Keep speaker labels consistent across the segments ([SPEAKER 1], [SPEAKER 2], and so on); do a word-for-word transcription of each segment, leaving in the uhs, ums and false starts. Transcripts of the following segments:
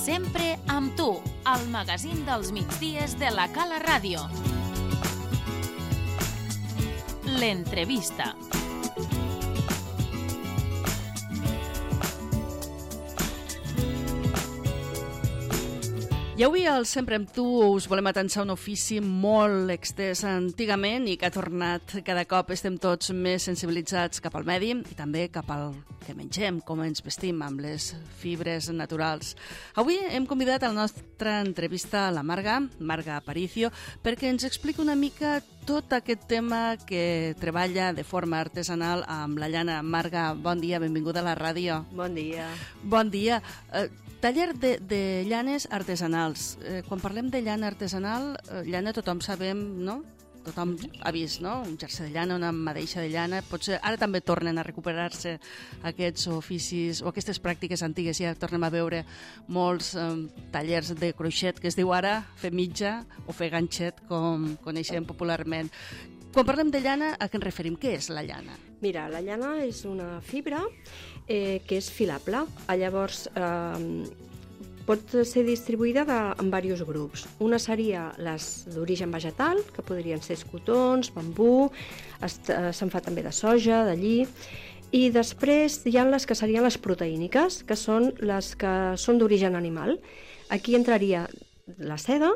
[SPEAKER 1] Sempre amb tu, al magazín dels migdies de la Cala Ràdio. L'entrevista.
[SPEAKER 2] I avui al Sempre amb tu us volem atensar un ofici molt extès antigament i que ha tornat. Cada cop estem tots més sensibilitzats cap al medi i també cap al que mengem, com ens vestim amb les fibres naturals. Avui hem convidat a la nostra entrevista a la Marga, Marga Aparicio, perquè ens expliqui una mica tot aquest tema que treballa de forma artesanal amb la llana. Marga, bon dia, benvinguda a la ràdio.
[SPEAKER 3] Bon dia.
[SPEAKER 2] Bon dia. Eh, taller de, de llanes artesanals. Eh, quan parlem de llana artesanal, eh, llana tothom sabem, no? Tothom ha vist, no? Un jersei de llana, una madeixa de llana. Potser ara també tornen a recuperar-se aquests oficis o aquestes pràctiques antigues. Ja tornem a veure molts eh, tallers de croixet, que es diu ara fer mitja o fer ganxet, com coneixem popularment. Quan parlem de llana, a què ens referim? Què és la llana?
[SPEAKER 3] Mira, la llana és una fibra eh, que és filable. Llavors, eh, pot ser distribuïda de, en diversos grups. Una seria les d'origen vegetal, que podrien ser escotons, bambú, eh, se'n fa també de soja, de lli, i després hi ha les que serien les proteíniques, que són les que són d'origen animal. Aquí entraria la seda,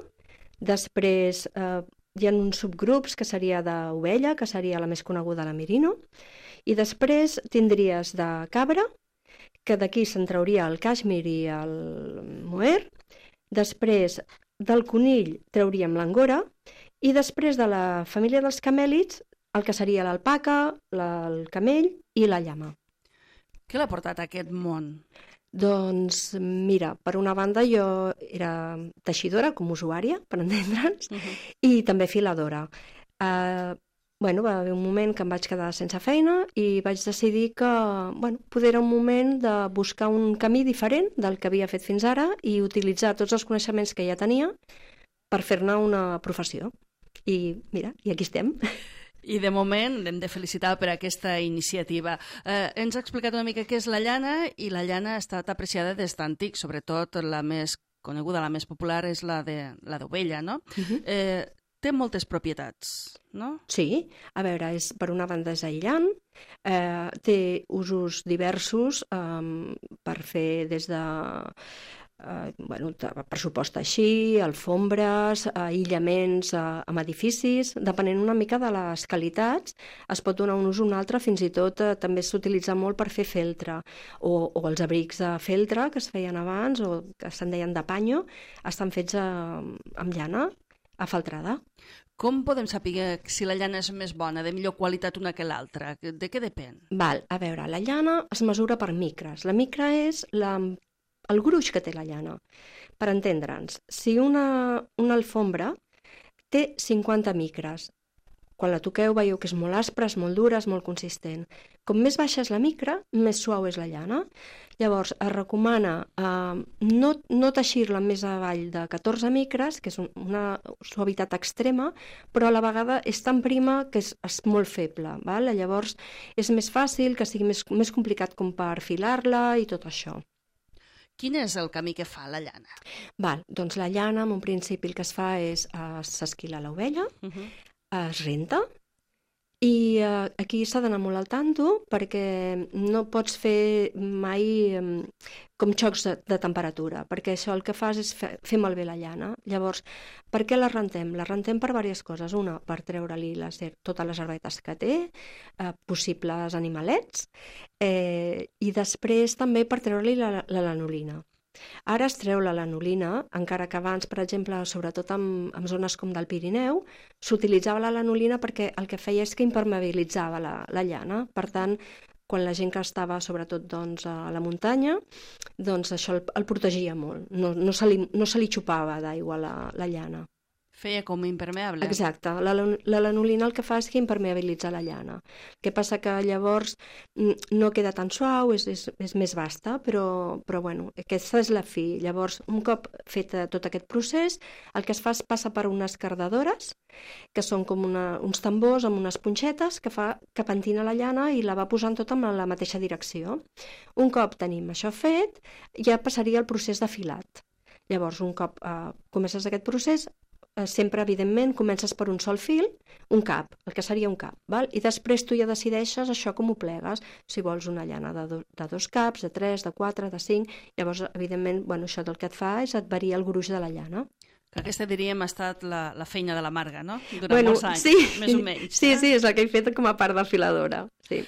[SPEAKER 3] després eh, hi ha uns subgrups que seria d'ovella, que seria la més coneguda, la merino, i després tindries de cabra, que d'aquí se'n trauria el cashmere i el mohair, després del conill trauríem l'angora, i després de la família dels camèlids, el que seria l'alpaca, el camell i la llama.
[SPEAKER 2] Què l'ha portat a aquest món?
[SPEAKER 3] Doncs mira, per una banda jo era teixidora com usuària, per entendre'ns, uh -huh. i també filadora. Uh, bueno, va haver un moment que em vaig quedar sense feina i vaig decidir que bueno, poder era un moment de buscar un camí diferent del que havia fet fins ara i utilitzar tots els coneixements que ja tenia per fer-ne una professió. I mira, i aquí estem.
[SPEAKER 2] I de moment l'hem de felicitar per aquesta iniciativa. Eh, ens ha explicat una mica què és la llana i la llana ha estat apreciada des d'antic, sobretot la més coneguda, la més popular és la de la d'ovella, no? Uh-huh. eh, té moltes propietats, no?
[SPEAKER 3] Sí, a veure, és, per una banda és aïllant, eh, té usos diversos eh, per fer des de... Uh, bueno, per supost així, alfombres, uh, aïllaments uh, amb edificis, depenent una mica de les qualitats, es pot donar un ús o un altre, fins i tot uh, també s'utilitza molt per fer feltre, o, o els abrics de feltre que es feien abans, o que se'n deien de panyo, estan fets uh, amb llana afaltrada.
[SPEAKER 2] Com podem saber si la llana és més bona, de millor qualitat una que l'altra? De què depèn?
[SPEAKER 3] Val, a veure, la llana es mesura per micres. La micra és la... el gruix que té la llana. Per entendre'ns, si una, una alfombra té cinquanta micres, quan la toqueu veieu que és molt aspra, és molt dura, és molt consistent. Com més baixa és la micra, més suau és la llana. Llavors, es recomana eh, no, no teixir-la més avall de catorze micres, que és una suavitat extrema, però a la vegada és tan prima que és, és molt feble. Val? Llavors, és més fàcil, que sigui més, més complicat com per filar-la i tot això.
[SPEAKER 2] Quin és el camí que fa la llana?
[SPEAKER 3] Val, doncs la llana, en un principi, el que es fa és uh, s'esquila l'ovella, uh-huh. es renta, i uh, aquí s'ha d'anar molt al tanto perquè no pots fer mai um, com xocs de, de temperatura, perquè això el que fas és fer, fer malbé la llana. Llavors, per què la rentem? La rentem per diverses coses. Una, per treure-li les, totes les herbetes que té, eh, possibles animalets, eh, i després també per treure-li la, la lanolina. Ara es treu la lanolina, encara que abans, per exemple, sobretot en, en zones com del Pirineu, s'utilitzava la lanolina perquè el que feia és que impermeabilitzava la, la llana. Per tant, quan la gent que estava sobretot doncs, a la muntanya, doncs això el, el protegia molt. No, no, se li, no se li xupava d'aigua la, la llana.
[SPEAKER 2] Feia com impermeable.
[SPEAKER 3] Exacte. La, la lanolina el que fa és que impermeabilitza la llana. El que passa que llavors no queda tan suau, és, és, és més vasta, però, però bueno, aquesta és la fi. Llavors, un cop fet tot aquest procés, el que es fa és passar per unes cardadores, que són com una, uns tambors amb unes punxetes que fa que pentina la llana i la va posant tota en la mateixa direcció. Un cop tenim això fet, ja passaria el procés de filat. Llavors, un cop eh, comences aquest procés, eh, sempre, evidentment, comences per un sol fil, un cap, el que seria un cap, val? I després tu ja decideixes això com ho plegues, si vols una llana de, do, de dos caps, de tres, de quatre, de cinc, llavors, evidentment, bueno, això del que et fa és et varia el gruix de la llana.
[SPEAKER 2] Que aquesta, diríem, ha estat la, la feina de la Marga, no? Durant
[SPEAKER 3] bueno,
[SPEAKER 2] molts anys,
[SPEAKER 3] sí.
[SPEAKER 2] més o menys.
[SPEAKER 3] Sí,
[SPEAKER 2] eh?
[SPEAKER 3] sí, és el que he fet com a part de filadora, sí.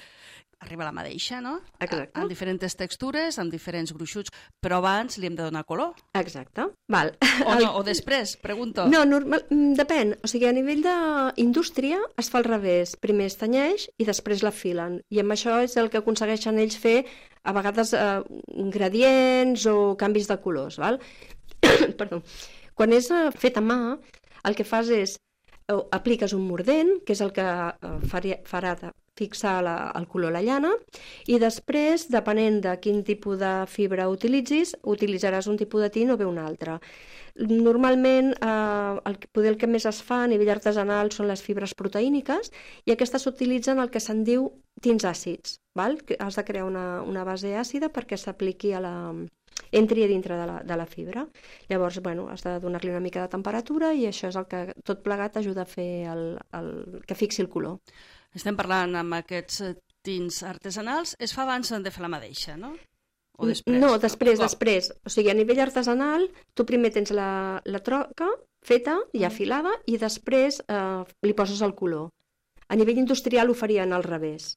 [SPEAKER 2] Arriba la madeixa, no?
[SPEAKER 3] Exacte.
[SPEAKER 2] En diferents textures, amb diferents gruixuts, però abans li hem de donar color.
[SPEAKER 3] Exacte, val.
[SPEAKER 2] O no, o després, pregunto.
[SPEAKER 3] No, normal, depèn. O sigui, a nivell d'indústria es fa al revés. Primer es tenyeix i després la filen. I amb això és el que aconsegueixen ells fer, a vegades, eh, gradients o canvis de colors, val? Perdó. Quan és eh, fet a mà, el que fas és eh, apliques un mordent, que és el que eh, faria, farà fixar la, el color a la llana, i després, depenent de quin tipus de fibra utilitzis, utilitzaràs un tipus de tint o bé un altre. Normalment, eh, el, poder el que més es fa a nivell artesanal són les fibres proteíniques, i aquestes s'utilitzen el que se'n diu tints àcids, val? Que has de crear una, una base àcida perquè s'apliqui a la... entri a dintre de la, de la fibra. Llavors, bueno, has de donar-li una mica de temperatura i això és el que tot plegat ajuda a fer el, el, que fixi el color.
[SPEAKER 2] Estem parlant amb aquests tints artesanals. Es fa abans de fer la madeixa, no? O després?
[SPEAKER 3] No, després,
[SPEAKER 2] no?
[SPEAKER 3] després. O sigui, a nivell artesanal, tu primer tens la, la troca feta, ja afilada, i després eh, li poses el color. A nivell industrial ho farien al revés.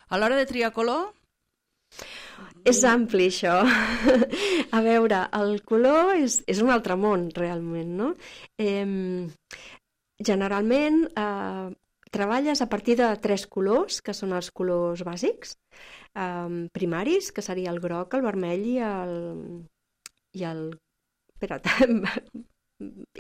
[SPEAKER 2] A l'hora de triar color...
[SPEAKER 3] És ampli, això. A veure, el color és, és un altre món, realment, no? Eh, generalment, eh, treballes a partir de tres colors, que són els colors bàsics, eh, primaris, que seria el groc, el vermell i el... i el... Espera't,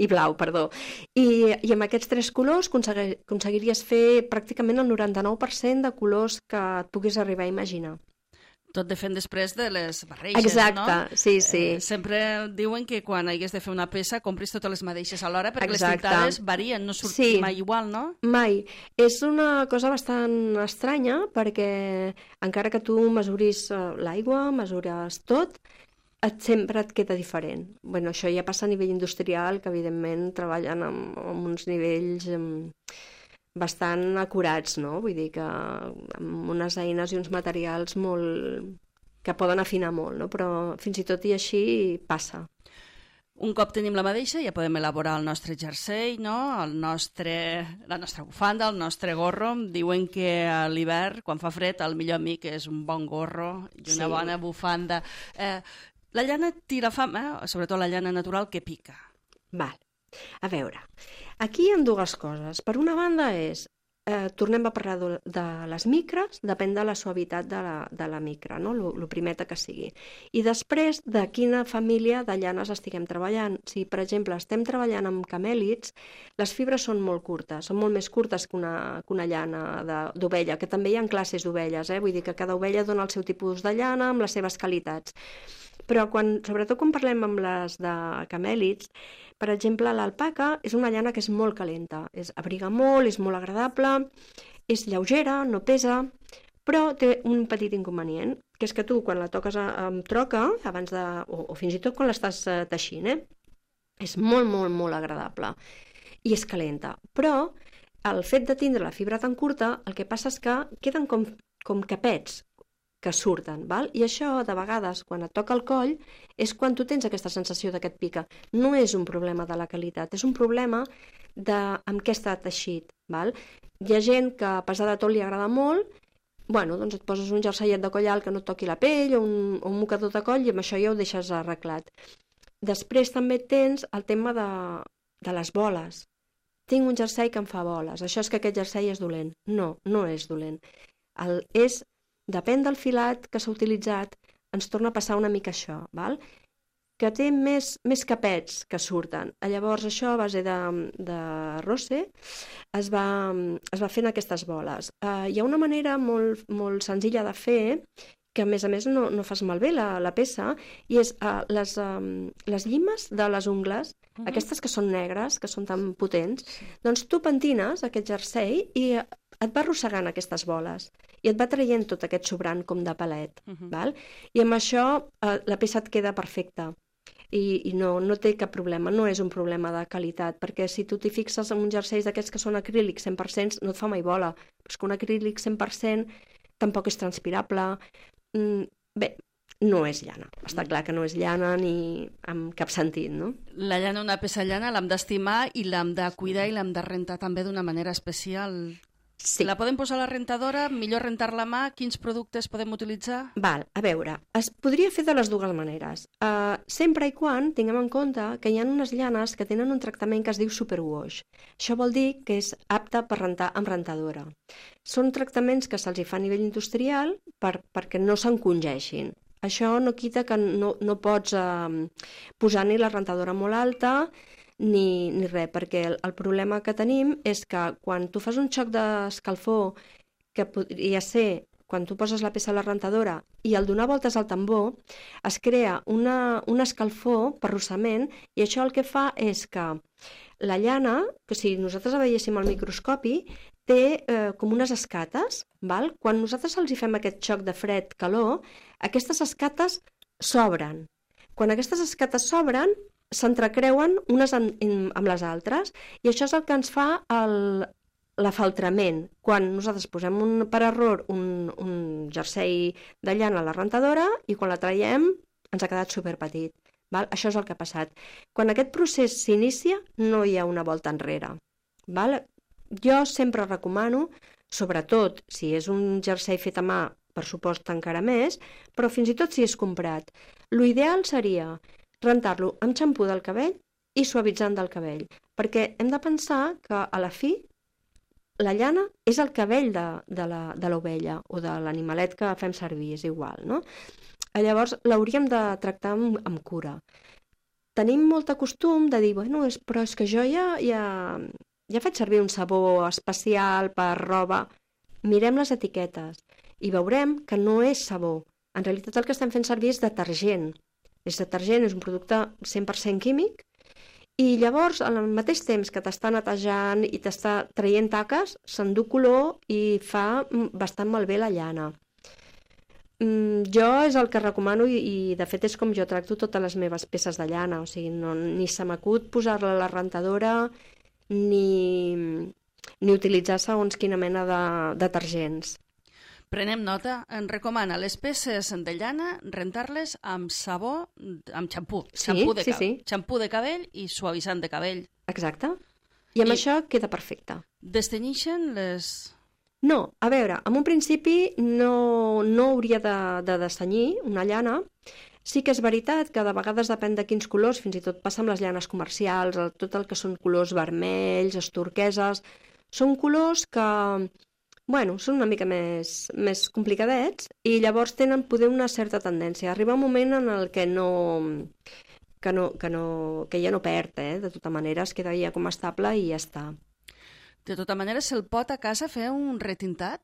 [SPEAKER 3] i blau, perdó. I, i amb aquests tres colors aconseguir, aconseguiries fer pràcticament el noranta-nou per cent de colors que et puguis arribar a imaginar.
[SPEAKER 2] Tot depèn després de les barreges,
[SPEAKER 3] exacte,
[SPEAKER 2] no?
[SPEAKER 3] Exacte, sí, sí.
[SPEAKER 2] Eh, sempre diuen que quan hagués de fer una peça compris totes les mateixes alhora perquè
[SPEAKER 3] exacte.
[SPEAKER 2] Les tintades varien, no surt
[SPEAKER 3] sí.
[SPEAKER 2] mai igual, no?
[SPEAKER 3] Mai. És una cosa bastant estranya perquè encara que tu mesuris l'aigua, mesures tot, et, sempre et queda diferent. Bueno, això ja passa a nivell industrial, que evidentment treballen amb, amb uns nivells... Amb... bastant acurats, no? Vull dir que amb unes eines i uns materials molt... que poden afinar molt, no? Però fins i tot i així passa.
[SPEAKER 2] Un cop tenim la madeixa ja podem elaborar el nostre jersei, no? El nostre... la nostra bufanda, el nostre gorro. Diuen que a l'hivern, quan fa fred, el millor amic és un bon gorro i una sí. bona bufanda. Eh, la llana tira fam, eh? Sobretot la llana natural, que pica.
[SPEAKER 3] Val. A veure, aquí hi ha dues coses. Per una banda és, eh, tornem a parlar de, de les micres, depèn de la suavitat de la, de la micra, no? Lo, lo primeta que sigui. I després, de quina família de llanes estiguem treballant. Si, per exemple, estem treballant amb camèlids, les fibres són molt curtes, són molt més curtes que una, que una llana d'ovella, que també hi ha classes d'ovelles, eh? Vull dir que cada ovella dona el seu tipus de llana amb les seves qualitats. Però, quan, sobretot quan parlem amb les de camèlids, per exemple, l'alpaca és una llana que és molt calenta, és, abriga molt, és molt agradable, és lleugera, no pesa, però té un petit inconvenient, que és que tu, quan la toques amb troca, abans de, o, o fins i tot quan l'estàs teixint, eh, és molt, molt, molt agradable i és calenta. Però el fet de tindre la fibra tan curta, el que passa és que queden com, com capets, que surten, val? I això, de vegades, quan et toca el coll, és quan tu tens aquesta sensació d'aquest pica. No és un problema de la qualitat, és un problema de amb què està teixit, val? Hi ha gent que, a pesar de tot, li agrada molt, bueno, doncs et poses un jerseiet de coll alt que no et toqui la pell, o un, o un mocador de coll, i amb això ja ho deixes arreglat. Després també tens el tema de, de les boles. Tinc un jersei que em fa boles, això és que aquest jersei és dolent. No, no és dolent. El, és... Depèn del filat que s'ha utilitzat, ens torna a passar una mica això, val? Que té més, més capets que surten. Llavors això, a base de, de rosse, es va, es va fent aquestes boles. Uh, hi ha una manera molt, molt senzilla de fer, que a més a més no, no fas malbé la, la peça, i és uh, les, um, les llimes de les ungles, uh-huh. aquestes que són negres, que són tan potents, sí. Doncs tu pentines aquest jersei i et va arrossegant aquestes boles i et va traient tot aquest sobrant com de palet. Uh-huh. Val? I amb això eh, la peça et queda perfecta. i, i no, no té cap problema, no és un problema de qualitat, perquè si tu t'hi fixes en uns jerseis d'aquests que són acrílics cent per cent, no et fa mai bola, però és que un acrílic cent per cent tampoc és transpirable. Mm, bé, no és llana, està clar que no és llana ni en cap sentit, no?
[SPEAKER 2] La llana, una peça llana, l'hem d'estimar i l'hem de cuidar i l'hem de rentar també d'una manera especial.
[SPEAKER 3] Sí.
[SPEAKER 2] La podem posar a la rentadora, millor rentar-la a mà, quins productes podem utilitzar?
[SPEAKER 3] Val, a veure, es podria fer de les dues maneres. Uh, sempre i quan tinguem en compte que hi ha unes llanes que tenen un tractament que es diu superwash. Això vol dir que és apte per rentar amb rentadora. Són tractaments que se'ls fa a nivell industrial per, perquè no s'encongeixin. Això no quita que no, no pots uh, posar ni la rentadora molt alta ni, ni res, perquè el, el problema que tenim és que quan tu fas un xoc d'escalfor, que podria ser quan tu poses la peça a la rentadora i al donar voltes al tambor, es crea una, una escalfor per rossament i això el que fa és que la llana, que si nosaltres la veiéssim al microscopi, té eh, com unes escates, val? Quan nosaltres els hi fem aquest xoc de fred-calor, aquestes escates s'obren. Quan aquestes escates s'obren, s'entrecreuen unes en, en, amb les altres i això és el que ens fa el, l'afaltrament. Quan nosaltres posem un, per error un, un jersei de llana a la rentadora i quan la traiem ens ha quedat superpetit. Val? Això és el que ha passat. Quan aquest procés s'inicia no hi ha una volta enrere. Val? Jo sempre recomano, sobretot si és un jersei fet a mà, per supost encara més, però fins i tot si és comprat. L'ideal seria rentar-lo amb xampú del cabell i suavitzant del cabell, perquè hem de pensar que a la fi la llana és el cabell de, de, la, de l'ovella o de l'animalet que fem servir, és igual, no? Llavors l'hauríem de tractar amb, amb cura. Tenim molt costum de dir, bueno, és, però és que jo ja, ja, ja faig servir un sabó especial per roba. Mirem les etiquetes i veurem que no és sabó. En realitat el que estem fent servir és detergent. És detergent, és un producte cent per cent químic i llavors al mateix temps que t'està netejant i t'està traient taques, s'endú color i fa bastant malbé la llana. Mm, jo és el que recomano i, i de fet és com jo tracto totes les meves peces de llana, o sigui, no, ni se m'acut posar-la a la rentadora ni, ni utilitzar segons quina mena de detergents.
[SPEAKER 2] Prenem nota, en recomana les peces de llana rentar-les amb sabó, amb xampú,
[SPEAKER 3] Sí,
[SPEAKER 2] xampú de,
[SPEAKER 3] sí,
[SPEAKER 2] ca-
[SPEAKER 3] sí.
[SPEAKER 2] xampú de cabell i suavitzant de cabell.
[SPEAKER 3] Exacte. I amb
[SPEAKER 2] I-
[SPEAKER 3] això queda perfecte.
[SPEAKER 2] Destenyixen les...
[SPEAKER 3] No, a veure, en un principi no, no hauria de, de destenyir una llana. Sí que és veritat que de vegades depèn de quins colors, fins i tot passa amb les llanes comercials, el, tot el que són colors vermells, els turqueses, són colors que, bueno, són una mica més, més complicadets i llavors tenen poder una certa tendència. Arriba un moment en el que no... que, no, que, no, que ja no perd, eh? De tota manera es queda ja com estable i ja està.
[SPEAKER 2] De tota manera, se'l pot a casa fer un retintat?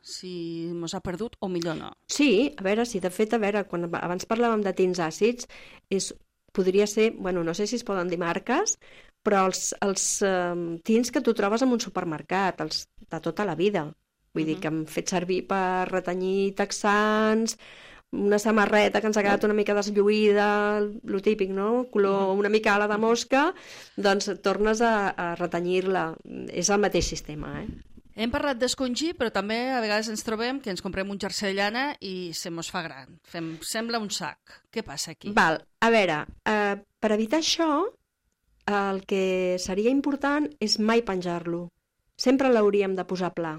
[SPEAKER 2] Si mos ha perdut, o millor no.
[SPEAKER 3] Sí, a veure, sí, de fet, a veure, quan abans parlàvem de tints àcids, és, podria ser, bueno, no sé si es poden dir marques, però els, els um, tints que tu trobes en un supermercat, els de tota la vida. Vull uh-huh. dir que hem fet servir per retenyir texans, una samarreta que ens ha quedat una mica deslluïda, lo típic, no? Color una mica ala de mosca, doncs tornes a, a retenyir-la. És el mateix sistema, eh?
[SPEAKER 2] Hem parlat d'escongir, però també a vegades ens trobem que ens comprem un jersei de llana i se mos fa gran. Fem, sembla un sac. Què passa aquí?
[SPEAKER 3] Val, a veure, eh, per evitar això, el que seria important és mai penjar-lo. Sempre l'hauríem de posar pla.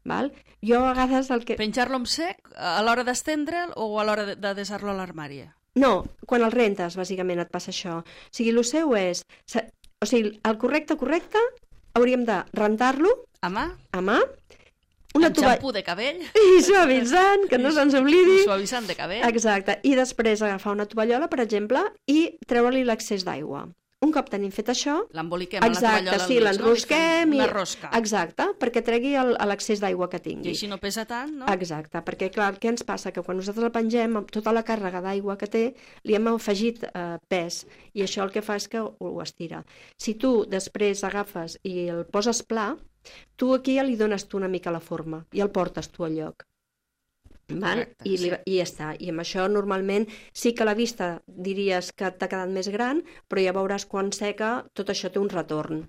[SPEAKER 3] Val? Jo a vegades el que...
[SPEAKER 2] Penjar-lo en sec a l'hora d'estendre'l o a l'hora de, de desar-lo a l'armari?
[SPEAKER 3] No, quan el rentes, bàsicament, et passa això. O sigui, el seu és... O sigui, el correcte, correcte, hauríem de rentar-lo
[SPEAKER 2] A mà?
[SPEAKER 3] a mà,
[SPEAKER 2] Una
[SPEAKER 3] una
[SPEAKER 2] amb
[SPEAKER 3] tova...
[SPEAKER 2] xampú de cabell?
[SPEAKER 3] i suavitzant, que no se'ns oblidi.
[SPEAKER 2] I suavitzant de cabell?
[SPEAKER 3] Exacte. I després agafar una tovallola, per exemple, i treure-li l'excés d'aigua. Un cop tenim fet això...
[SPEAKER 2] L'emboliquem a la
[SPEAKER 3] exacte,
[SPEAKER 2] tovallola
[SPEAKER 3] sí,
[SPEAKER 2] al mig,
[SPEAKER 3] l'enrosquem
[SPEAKER 2] no?
[SPEAKER 3] i...
[SPEAKER 2] Una rosca.
[SPEAKER 3] Exacte, perquè tregui el- l'excés d'aigua que tingui.
[SPEAKER 2] I així no pesa tant, no?
[SPEAKER 3] Exacte, perquè clar, què ens passa? Que quan nosaltres el pengem, amb tota la càrrega d'aigua que té, li hem afegit eh, pes, i això el que fa és que ho estira. Si tu després agafes i el poses pla, tu aquí ja li dones tu una mica la forma, i el portes tu al lloc. Val?
[SPEAKER 2] Correcte,
[SPEAKER 3] I, li,
[SPEAKER 2] sí.
[SPEAKER 3] I ja està. I amb això normalment sí que la vista diries que t'ha quedat més gran, però ja veuràs quan seca tot això té un retorn.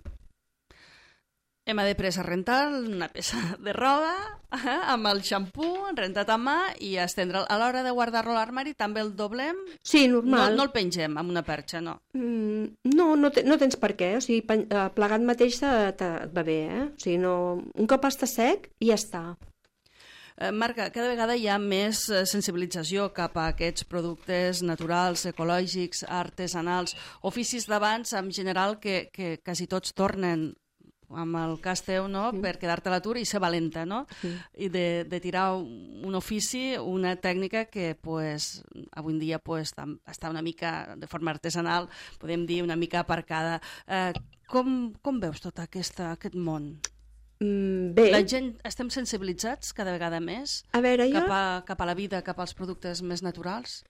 [SPEAKER 2] Hem après a rentar una peça de roba eh, amb el xampú, rentat a mà i estendre'l. A l'hora de guardar-lo a l'armari també el doblem?
[SPEAKER 3] Sí,
[SPEAKER 2] No,
[SPEAKER 3] normal.
[SPEAKER 2] no el pengem amb una perxa, no.
[SPEAKER 3] Mm, no, no, te, no tens per què. O sigui, pen- eh, plegat mateix te, te, et va bé, eh? O sigui, no, un cop està sec i ja està.
[SPEAKER 2] Eh, Marga, cada vegada hi ha més eh, sensibilització cap a aquests productes naturals, ecològics, artesanals, oficis d'abans en general que, que quasi tots tornen amb el cas teu, no?,
[SPEAKER 3] Sí.
[SPEAKER 2] per quedar-te a l'atur i ser valenta, no?
[SPEAKER 3] Sí.
[SPEAKER 2] I de, de tirar un ofici, una tècnica que, pues, avui en dia pues, tam- està una mica, de forma artesanal, podem dir, una mica aparcada. Eh, com, com veus tot aquesta, aquest món?
[SPEAKER 3] Mm, bé,
[SPEAKER 2] La gent, estem sensibilitzats cada vegada més
[SPEAKER 3] a veure, jo...
[SPEAKER 2] cap a, cap a la vida, cap als productes més naturals?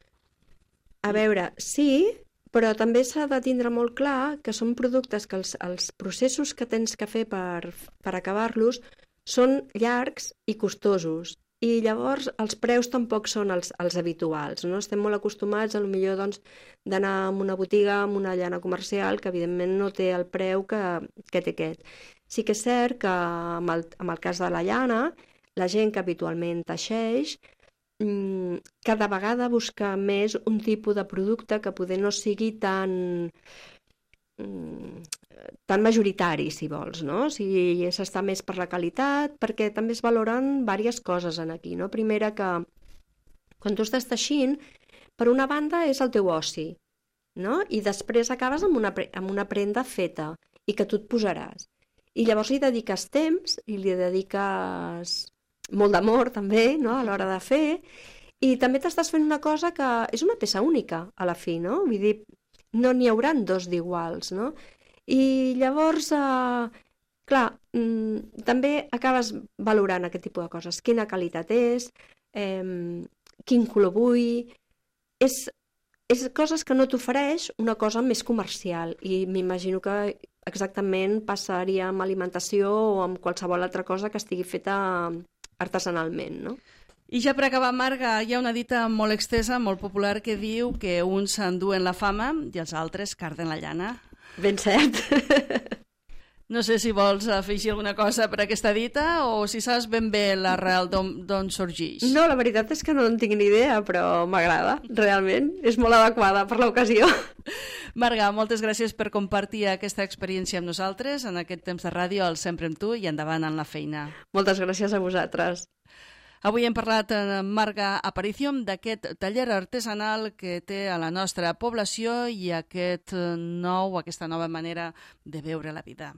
[SPEAKER 3] A veure, sí, però també s'ha de tindre molt clar que són productes que els, els processos que tens que fer per, per acabar-los són llargs i costosos. I llavors els preus tampoc són els, els habituals, no? Estem molt acostumats, a lo millor, doncs, d'anar a una botiga, amb una llana comercial, que evidentment no té el preu que, que té aquest. Sí que és cert que amb el, amb el cas de la llana, la gent que habitualment teixeix, mm, cada vegada busca més un tipus de producte que poder no sigui tan mm, tan majoritari, si vols, no? O sigui, s'està més per la qualitat, perquè també es valoren diverses coses en aquí, no? Primera, que quan tu estàs teixint, per una banda és el teu oci, no? I després acabes amb una, pre- amb una prenda feta i que tu et posaràs. I llavors li dediques temps i li dediques molt d'amor també, no?, a l'hora de fer, i també t'estàs fent una cosa que és una peça única a la fi, no? Vull dir, no n'hi hauran dos d'iguals, no? I llavors, eh, clar, mm, també acabes valorant aquest tipus de coses. Quina qualitat és, eh, quin color vull... És, és coses que no t'ofereix una cosa més comercial i m'imagino que exactament passaria amb alimentació o amb qualsevol altra cosa que estigui feta artesanalment, no?
[SPEAKER 2] I ja per acabar, Marga, hi ha una dita molt extesa, molt popular, que diu que uns s'enduen la fama i els altres carden la llana.
[SPEAKER 3] Ben cert.
[SPEAKER 2] No sé si vols afegir alguna cosa per aquesta dita o si saps ben bé l'arrel d'on sorgeix.
[SPEAKER 3] No, la veritat és que no en tinc ni idea, però m'agrada, realment. És molt adequada per l'ocasió.
[SPEAKER 2] Marga, moltes gràcies per compartir aquesta experiència amb nosaltres en aquest temps de ràdio, al Sempre amb tu i endavant en la feina.
[SPEAKER 3] Moltes gràcies a vosaltres.
[SPEAKER 2] Avui hem parlat amb Marga Aparicio d'aquest taller artesanal que té a la nostra població i aquest nou, aquesta nova manera de veure la vida.